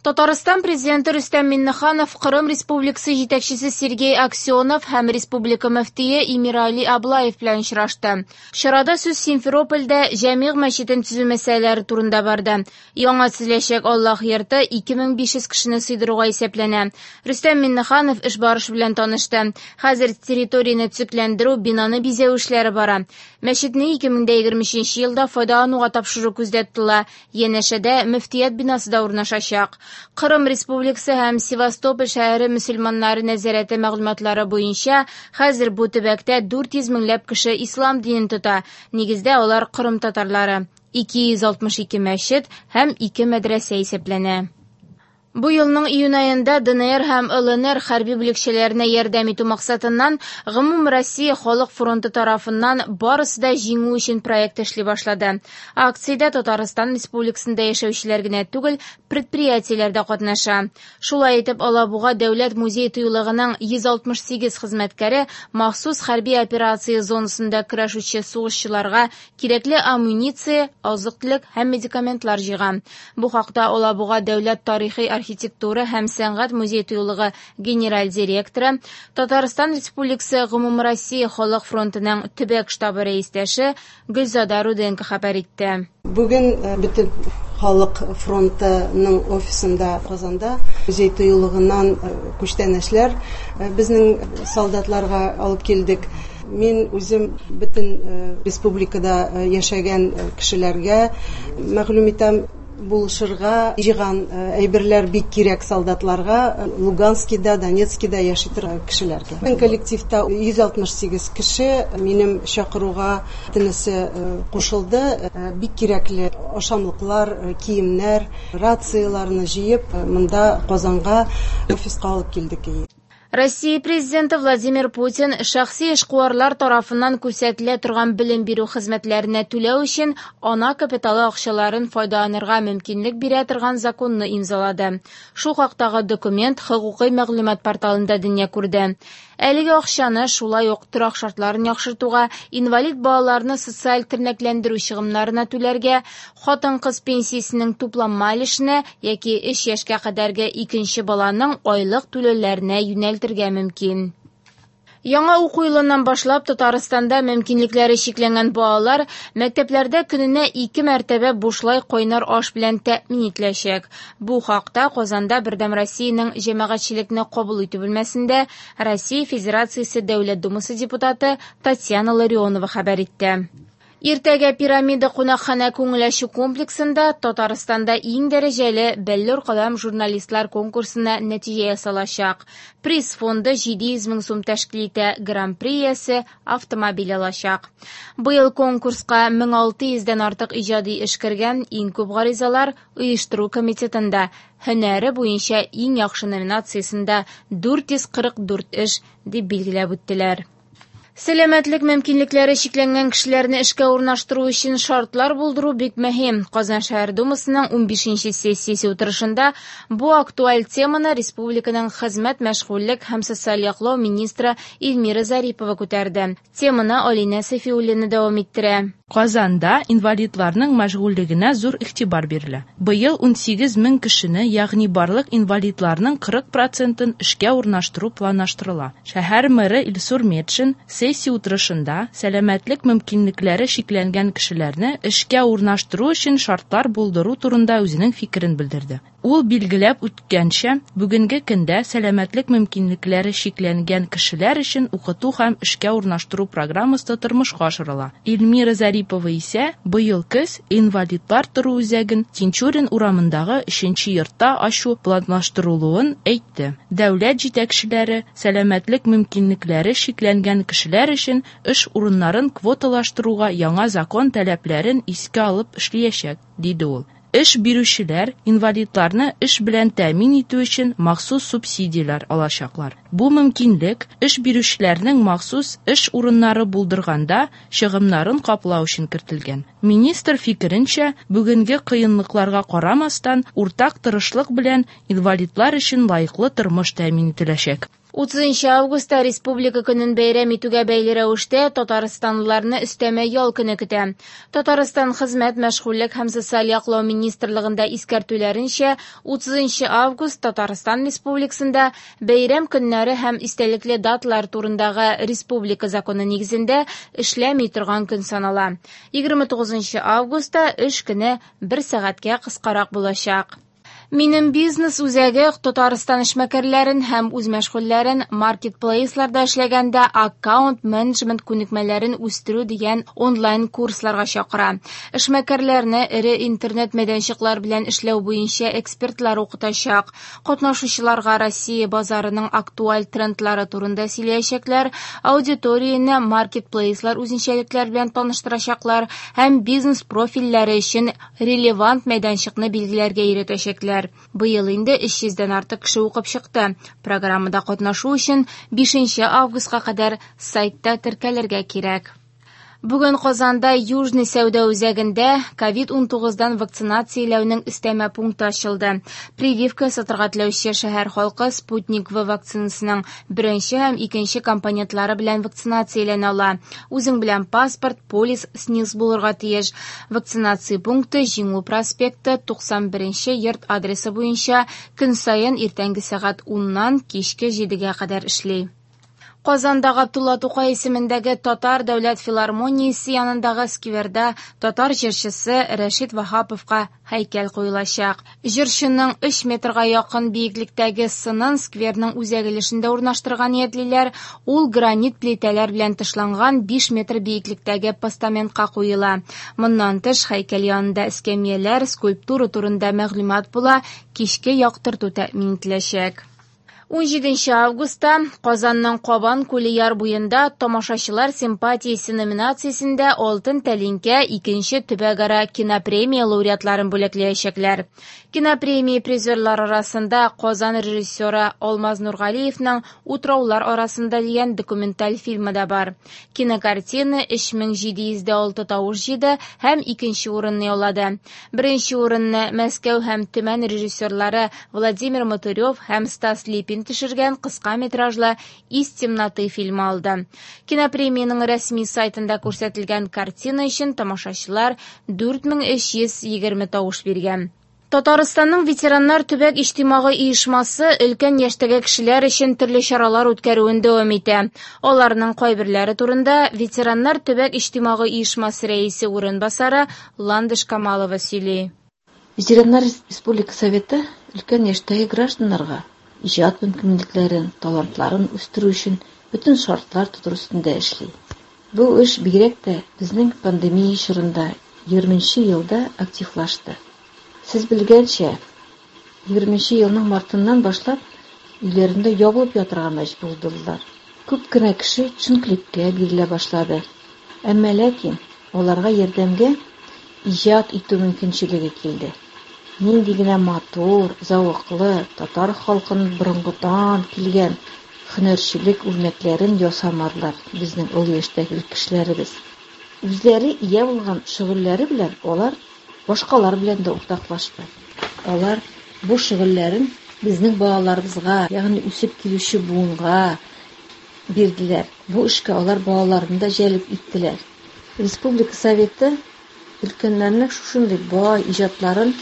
Татарстан Президенты Рөстәм Миңнеханов Кырым Республикасы җитәкчесе Сергей Аксенов һәм республика мөфтие Эмирали Аблаев белән очрашты. Чарада сүз Симферопольдә Җәмигъ мәчетен төзү мәсьәләләре турында барды. Яңа төзеләчәк Аллаһ йорты 2500 кешене сыйдыруга исәпләнә. Рөстәм Миңнеханов эш барышы белән танышты. Хәзер территорияне төзекләндерү, бинаны бизәү эшләре бара. Мәчетне 2023 елда файдалануга тапшыру күздә тотыла. Янәшәдә мөфтият бинасы да урнашачак. Кырым Республикасы һәм Севастополь шәһәре мөселманнары нәзарәте мәгълүматлары буенча, хәзер бу төбәктә 400 меңләп кеше ислам динен тота. Нигездә алар кырым татарлары. 262 мәчет һәм 2 мәдрәсә исәпләнә. Бу елның июнь аенда ДНР һәм ЛНР хәрби бүлекчәләренә ярдәм итү максатыннан Гомумроссия халык фронты тарафыннан «Барысы да җиңү өчен» проекты эшли башлады. Акциядә Татарстан Республикасында яшәүчеләр генә түгел, предприятиеләр дә катнаша. Шулай итеп, Алабуга дәүләт музей-тыюлыгының 168 хезмәткәре махсус хәрби операция зонасында көрәшүче сугышчыларга кирәкле амуниция, азык-төлек һәм медикаментлар җыйган. Бу хакта Алабуга дәүләт тарихи архитектура һәм сәнгать музей-тыюлыгы генераль директоры, Татарстан Республикасы Гомумроссия халык фронтының төбәк штабы рәистәше Гөлзада Руденко хәбәр итте. Бүген бөтен халык фронтының офисында Казанда музей тыюлыгыннан күчтәнәчләр безнең солдатларга алып килдек. Мин үзем бөтен республикада яшәгән кешеләргә мәгълүм итәм, булышырга җыйган әйберләр бик кирәк солдатларга, Луганскида, Донецкида яши торган кешеләргә. Безнең коллективта 168 кеше минем чакыруга тенесе кушылды. Бик кирәкле ашамлыклар, киемнәр, рацияләрне җыеп, монда Казанга офиска алып килдек. Россия Президенты Владимир Путин шәхси эшкуарлар тарафыннан күрсәтелә торган белем бирү хезмәтләренә түләү өчен ана капиталы акчаларын файдаланырга мөмкинлек бирә торган законны имзалады. Шул хактагы документ хокукый мәгълүмат порталында дөнья күрде. Әлеге акчаны шулай ук торак шартларын яхшыртуга, инвалид балаларны социаль тернәкләндерү чыгымнарына түләргә, хатын-кыз пенсиясенең тупланма өлешенә яки 3 яшькә кадәрге икенче баланың айлык түләүләренә юнәлтергә мөмкин. Яңа уку елыннан башлап Татарстанда мөмкинлекләре чикләнгән балалар мәктәпләрдә көненә 2 мәртәбә бушлай кайнар аш белән тәэмин ителәчәк. Бу хакта Казанда Бердәм Россиянең җәмәгатьчелекне кабул итү бүлмәсендә Россия Федерациясе Дәүләт Думасы депутаты Татьяна Ларионова хәбәр итте. Иртәгә Пирамида кунакханә күңел ачу комплексында Татарстанда иң дәрәҗәле Бәллүр каләм журналистлар конкурсына нәтиҗә ясалачак. Приз фонды 700 мең сум тәшкил итә, гран-при иясе автомобиль алачак. Быел конкурска 1600 дән артык иҗади эш кергән, иң күп гаризалар оештыру комитетында һөнәре буенча иң яхшы номинациясендә 444 эш дип билгеләп үттеләр. Сәламәтлек мөмкинлекләре чикләнгән кешеләрне эшкә урнаштыру өчен шартлар булдыру бик мөһим. Казан шәһәр Думасының 15нче сессиясе утырышында бу актуаль теманы республиканың хезмәт, мәшгульлек һәм социаль яклау министры Эльмира Зарипова күтәрде. Теманы Алинә Сафиуллина дәвам иттерә. Казанда инвалидларның мәшгульлегенә зур игътибар бирелә. Быел 18 мең кешене, ягъни барлык инвалидларның 40 процентын эшкә урнаштыру планлаштырыла. Шәһәр мэры Илсур Метшин сессия утырышында сәламәтлек мөмкинлекләре чикләнгән кешеләрне эшкә урнаштыру өчен шартлар булдыру турында үзенең фикерен белдерде. Ул билгеләп үткәнчә, бүгенге көндә сәламәтлек мөмкинлекләре чикләнгән кешеләр өчен укыту һәм эшкә урнаштыру программасы тормышка ашырыла. Эльмира Зарипова исә быел көз инвалидлар тору үзәген Тинчурин урамындагы 3нче йортта ачу планлаштырылуын әйтте. Дәүләт җитәкчеләре сәламәтлек мөмкинлекләре чикләнгән кешеләр өчен эш урыннарын квоталаштыруга яңа закон таләпләрен искә алып эшләячәк, диде ул. Эш бирүчеләр инвалидларны эш белән тәэмин итү өчен махсус субсидияләр алачаклар. Бу мөмкинлек эш бирүчеләрнең махсус эш урыннары булдырганда чыгымнарын каплау өчен кертелгән. Министр фикеренчә, бүгенге кыенлыкларга карамастан, уртак тырышлык белән инвалидлар өчен лаеклы тормыш тәэмин ителәчәк. 30 августта Республика көнен бәйрәм итүгә бәйле рәвештә татарстанлыларны өстәмә ял көне көтә. Татарстан Хезмәт, мәшгульлек һәм социаль яклау министрлыгында искәртүләренчә, 30 август Татарстан Республикасында бәйрәм көннәре һәм истәлекле даталар турындагы республика законы нигезендә эшләми торган көн санала. 29 августта эш көне бер сәгатькә кыскарак булачак. Минем бизнес үзәге Татарстан эшмәкәрләрен һәм үзмәшгульләрен маркетплейсларда эшләгәндә аккаунт-менеджмент күнекмәләрен үстерү дигән онлайн-курсларга чакыра. Эшмәкәрләрне эре интернет мәйданчыклар белән эшләү буенча экспертлар укытачак. Катнашучыларга Россия базарының актуаль трендлары турында сөйләячәкләр, аудиторияне маркетплейслар үзенчәлекләре белән таныштырачаклар һәм бизнес профильләре өчен релевант мәйданчыкны билгеләргә өйрәтәчәкләр. Быел инде 300дән артык кеше укып чыкты. Программада катнашу өчен 5 августка кадәр сайтта теркәлергә кирәк. Бүген Казанда Южный сәүдә үзәгендә COVID-19-дан вакцинацияләүнең өстәмә пункты ачылды. Прививка ясатырга теләүче шәһәр халкы Спутник В вакцинасының беренче һәм икенче компонентлары белән вакцинацияләнә ала. Үзең белән паспорт, полис, СНИЛС булырга тиеш. Вакцинация пункты Җиңү проспекты 91 йорт адресы буенча көн саен иртәнге сәгать 10-нан кичке 7-гә кадәр эшли. Казанда Габдулла Тукай исемендәге Татар дәүләт филармониясе янындагы скверда татар җырчысы Рәшит Ваһаповка һәйкәл куелачак. Җырчының 3 метрга якын биеклектәге сынын скверның үзәк өлешендә урнаштырырга ниятлиләр. Ул гранит плитәләр белән тышланган 5 метр биеклектәге постаментка куела. Моннан тыш һәйкәл янында эскәмияләр, скульптура турында мәгълүмат була, кичке яктырту тәэмин ителәчәк. 17 августта Казанның Кабан күле яр буенда тамашачылар симпатиясе номинациясендә Алтын тәлинкә икенче төбәкара кинопремия лауреатларын бүләкләячәкләр. Кинопремия призерлары арасында Казан режиссеры Алмаз Нургалиевның Утраулар арасында дигән документаль фильмы да бар. Кинокартина 3706 тавыш җыйды һәм икенче урынны яулады. Беренче урынны Мәскәү һәм Төмән режиссерлары Владимир Мотырев һәм Стас Липин төшергән кыска метражлы «Из темноты» фильмы алды. Кинопремиянең рәсми сайтында күрсәтелгән картина өчен тамашачылар 4320 тавыш биргән. Татарстанның ветераннар төбәк иҗтимагый оешмасы өлкән яшьтәге кешеләр өчен төрле чаралар үткәрүен дәвам итә. Аларның кайберләре турында ветераннар төбәк иҗтимагый оешмасы рәисе урынбасары Ландыш Камалова сөйли. Ветераннар Республика Советы өлкән яшьтәге гражданнарга иҗат мөмкинлекләрен, талантларын үстерү өчен бөтен шартлар тудыру өстендә эшли. Бу эш бигрәк тә безнең пандемия чорында 20 елда активлашты. Сез белгәнчә, 20 елның мартыннан башлап өйләрендә ябылып ятырга мәҗбүр булдылар. Күп кенә кеше төшенкелеккә бирелә башлады. Әмма ләкин аларга ярдәмгә иҗат итү мөмкинчелеге килде. Нинди генә матур, зәвыклы, татар халкының борынгыдан килгән һөнәрчелек үрнәкләрен ясамадылар безнең олы яшьтәге кешеләребез. Үзләре ия булган шөгыльләре белән алар башкалар белән дә уртаклашты. Алар бу шөгыльләрен безнең балаларыбызга, ягъни үсеп килүче буынга бирделәр. Бу эшкә алар балаларын да җәлеп иттеләр. Республика Советы өлкәннәрнең шушындый бай иҗатларын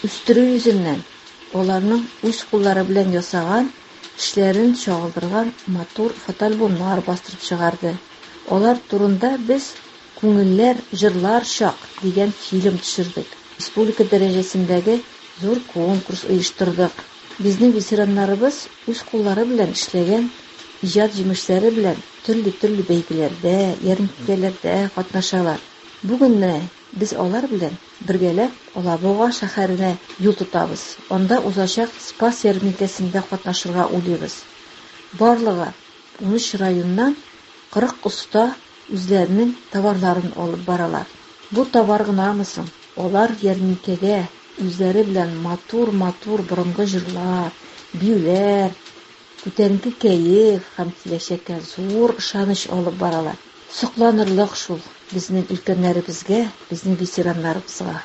үстерү йөзеннән аларның үз куллары белән ясаган эшләрен чагылдырган матур фотоальбомнар бастырып чыгарды. Алар турында без Күңелләр җырлар чак дигән фильм төшердек. Республика дәрәҗәсендәге зур конкурс оештырдык. Безнең ветераннарыбыз үз куллары белән эшләгән иҗат җимешләре белән төрле-төрле бәйгеләрдә, ярминкәләрдә катнашалар. Бүген менә без алар белән бергәләп Алабуга шәһәренә юл тотабыз. Анда узачак Спас ярминкәсендә катнашырга уйлыйбыз. Барлыгы 13 районнан 40 оста үзләренең товарларын алып баралар. Бу товар гынамы соң? Алар ярминкәгә үзләре белән матур-матур борынгы җырлар, биюләр, күтәренке кәеф һәм киләчәккә зур ышаныч алып баралар. Сокланырлык шул безнең өлкәннәребезгә, безнең ветераннарыбызга.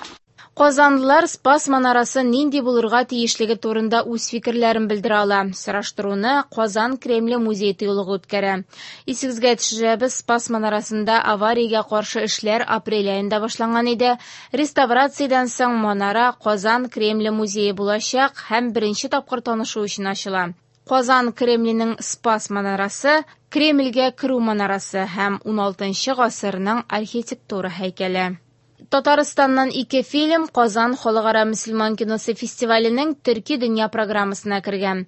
Казанлылар Спас манарасы нинди булырга тиешлеге турында үз фикерләрен белдерә ала. Сораштыруны Казан Кремле музей тыюлыгы үткәрә. Исегезгә төшерәбез, Спас манарасында авариягә каршы эшләр апрель аенда башланган иде. Реставрациядән соң манара Казан Кремле музее булачак һәм беренче тапкыр танышу өчен ачыла. Казан Кремленең Спас манарасы Кремльгә керү манарасы һәм 16 гасырның архитектура һәйкәле. Татарстаннан ике фильм Казан халыкара мөселман киносы фестиваленең Төрки дөнья программасына кергән.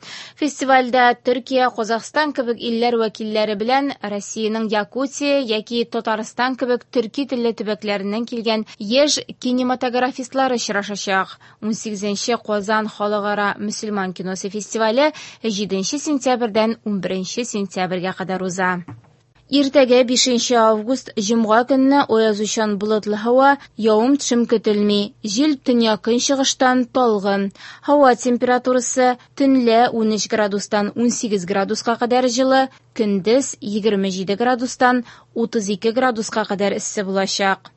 Фестивальдә Төркия, Казахстан кебек илләр вәкилләре белән Россиянең Якутия яки Татарстан кебек төрки телле төбәкләреннән килгән яшь кинематографистлар очрашачак. 18 Казан халыкара мөселман киносы фестивале 7 сентябрьдән 11 сентябрьгә кадәр уза. Иртәгә 5 август җомга көнне аязучан болытлы һава, явым-төшем көтелми. Җил төньяк-көнчыгыштан талгын. Һава температурасы төнлә 13 градустан 18 градуска кадәр җылы, көндез 27 градустан 32 градуска кадәр эссе булачак.